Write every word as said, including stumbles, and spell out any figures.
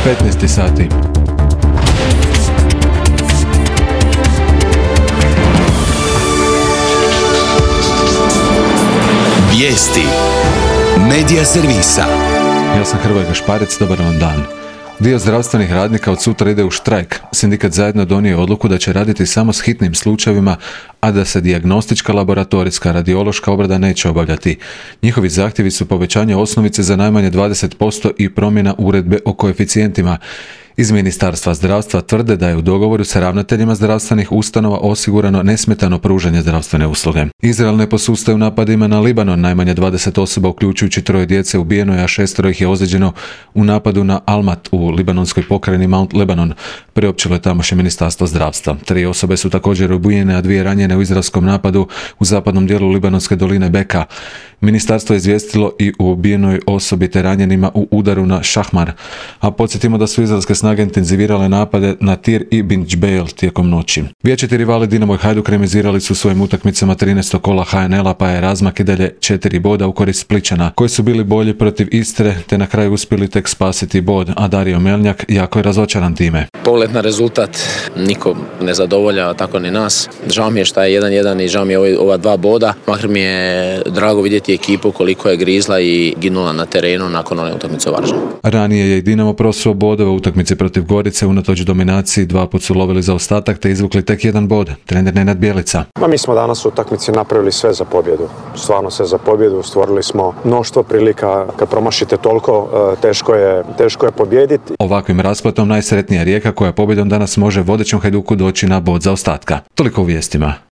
petnaest sati. Vijesti Medija servisa. Ja sam Hrvoje Gašparec, dobar vam dan. Dio zdravstvenih radnika od sutra ide u štrajk. Sindikat Zajedno donio je odluku da će raditi samo s hitnim slučajevima, a da se dijagnostička, laboratorijska, radiološka obrada neće obavljati. Njihovi zahtjevi su povećanje osnovice za najmanje dvadeset posto i promjena uredbe o koeficijentima. Iz Ministarstva zdravstva tvrde da je u dogovoru sa ravnateljima zdravstvenih ustanova osigurano nesmetano pružanje zdravstvene usluge. Izrael ne posustaje u napadima na Libanon. Najmanje dvadeset osoba, uključujući troje djece, ubijeno je, a šestero ih je ozlijeđeno u napadu na Almat u libanonskoj pokrajini Mount Lebanon, priopćilo je tamošnje Ministarstvo zdravstva. Tri osobe su također ubijene, a dvije ranjene u izraelskom napadu u zapadnom dijelu libanonske doline Beka. Ministarstvo je izvijestilo i o ubijenoj osobi te ranjenima u udaru na Šahmar. A podsjetimo da su izraelske snage intenzivirale napade na Tir i Bin Džbejl tijekom noći. Vječiti rivali Dinamo i Hajduk remizirali su svojim utakmicama trinaestog kola H N L-a, pa je razmak i dalje četiri boda u korist Splićana, koji su bili bolji protiv Istre te na kraju uspjeli tek spasiti bod, a Dario Melnjak jako je razočaran time. Pogled na rezultat niko ne zadovolja, tako ni nas. Žao mi je šta je jedan jedan i žao mi je ova dva boda. Makar mi je drago vidjeti ekipu koliko je grizla i ginula na terenu nakon one utakmice u Varaždinu. Ranije je i Dinamo prosuo bodove u utakmici protiv Gorice, unatoč dominaciji dva put su lovili zaostatak te izvukli tek jedan bod. Trener Nenad Bjelica. Ma mi smo danas u utakmici napravili sve za pobjedu. Stvarno sve za pobjedu, stvorili smo mnoštvo prilika. Kad promašite toliko, teško je, teško je pobijediti. Ovakvim raspletom najsretnija Rijeka koja pobjedom danas može vodećem Hajduku doći na bod zaostatka. Toliko u vijestima.